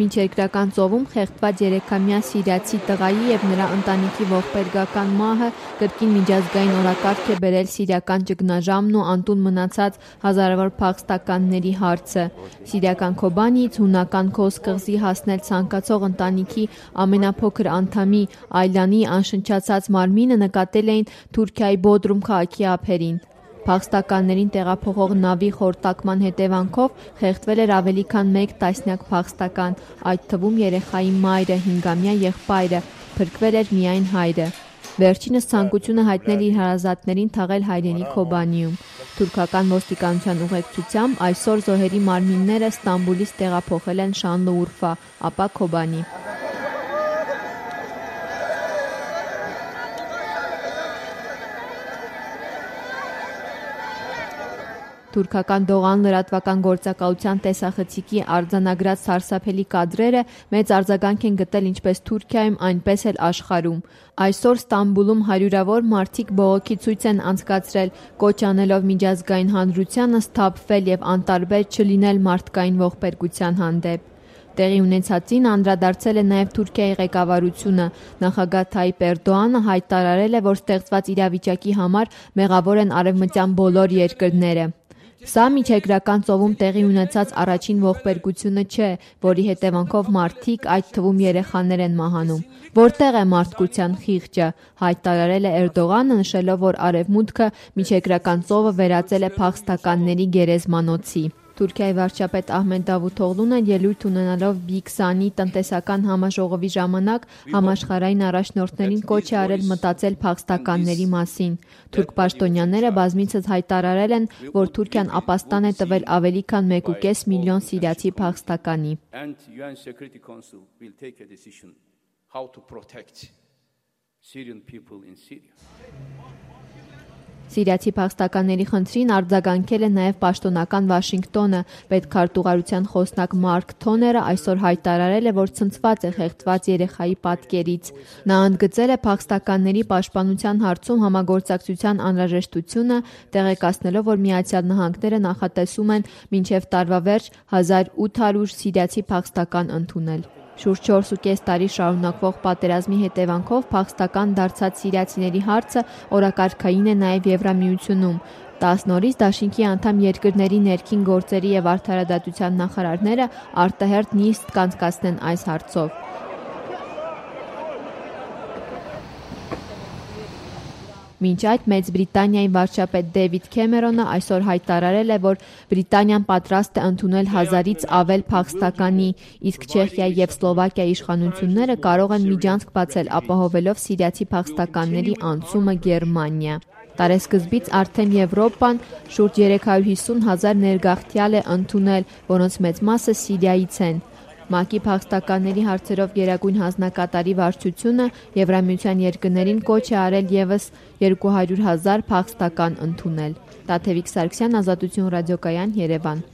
Միջերկրական ծովում խեղդված 3-ամյա սիրիացի տղայի և նրա ընտանիքի ողբերգական մահը կրկին միջազգային օրակարգ է բերել սիրիական ճգնաժամն ու անտուն մնացած հազարավոր փախստականների հարցը։ Սիրիական Քոբանիից հունական Քոս կղզի հասնել ցանկացող ընտանիքի ամենափոքր անդամի Այլանի անշնչացած մարմինը նկատել էին Թուրքիայի Բոդրում քաղաքի ափերին։ Փախստականներին տեղափոխող նավի խորտակման հետևանքով խեղդվել էր ավելի քան 1 տասնյակ փախստական, այդ թվում երեխայի մայրը, 5-ամյա եղբայրը, փրկվել էր միայն հայրը։ Վերջինս ցանկություն է հայտնել իր հարազատներին թաղել հայրենի Քոբանիում։ Թուրքական ոստիկանության ուղեկցությամբ այսօր զոհերի մարմինները Ստամբուլից տեղափոխել են Շանլուուրֆա, ապա Քոբանի։ Թուրքական Դողան լրատվական գործակալության տեսախցիկի արձանագրած սարսափելի կադրերը մեծ արձագանք են գտել ինչպես Թուրքիայում, այնպես էլ աշխարհում։ Այսօր Ստամբուլում հարյուրավոր մարդիկ բողոքի ցույց են անցկացրել, կոչ անելով միջազգային հանրությանը սթափվել և անտարբեր չլինել մարդկային ողբերգության հանդեպ։ Տեղի ունեցածին անդրադարձել է նաև Թուրքիայի ղեկավարությունը։ Նախագահ Թայիպ Էրդողանը հայտարարել է, որ ստեղծված իրավիճակի համար մեղավոր են արևմտյան բոլոր երկրները։ Սա Միջերկրական ծովում տեղի ունեցած առաջին ողբերգությունը չէ, որի հետևանքով մարդիկ, այդ թվում երեխաներ են մահանում։ Որտեղ է մարդկության խիղճը, հայտարարել է Էրդողանը, նշելով, որ Արևմուտքը Միջերկրական ծովը վերածել է փախստականների գերեզմանոցի։ Թուրքիայի վարչապետ Ահմեդ Դավութօղլուն ելույթ ունենալով B20 տնտեսական համաժողովի ժամանակ համաշխարհային առաջնորդներին կոչ է արել մտածել փախստականների մասին։ Թուրք պաշտոնյաները բազմիցս հայտարարել են, որ Թուրքիան ապաստան է տվել ավելի քան 1.5 միլիոն սիրիացի փախստականի։ Սիրիացի փախստականների խնդրին արձագանքել է նաև պաշտոնական Վաշինգտոնը։ Պետքարտուղարության խոսնակ Մարկ Թոները այսօր հայտարարել է, որ ցնցված է խեղդված երեխայի պատկերից։ Նա ընդգծել է փախստականների պաշտպանության հարցում համագործակցության անհրաժեշտությունը, տեղեկացնելով, որ Միացյալ Նահանգները նախատեսում են մինչև տարվա վերջ 1800 սիրիացի փախստական ընդունել։ Շուրջ 4.5 տարի շարունակվող պատերազմի հետևանքով փախստական դարձած սիրիացիների հարցը օրակարգային է նաև Եվրամիությունում։ 10 նորից դաշինքի անդամ երկրների ներքին գործերի և արդարադատության նախարարները արտահերթ նիստ կանցկացնեն այս հարցով։ Մինչ այդ Մեծ Բրիտանիայի վարչապետ Դեվիդ Քեմերոնը այսօր հայտարարել է, որ Բրիտանիան պատրաստ է ընդունել 1000-ից ավել փախստականի, իսկ Չեխիայի և Սլովակիայի իշխանությունները կարող են միջանցք բացել ապահովելով սիրիացի փախստականների անցումը Գերմանիա։ Տարեսկզբից արդեն Եվրոպան շուրջ 350,000 ներգաղթյալ է ընդունել, որոնց մեծ մասը Սիրիայից են։ ՄԱԿ-ի փախստականների հարցերով գերագույն հանձնակատարի վարչությունը Եվրամիության երկրներին կոչ է արել ևս 200,000 փախստական ընդունել։ Տաթևիկ Սարգսյան, Ազատություն ռադիոկայան, Երևան։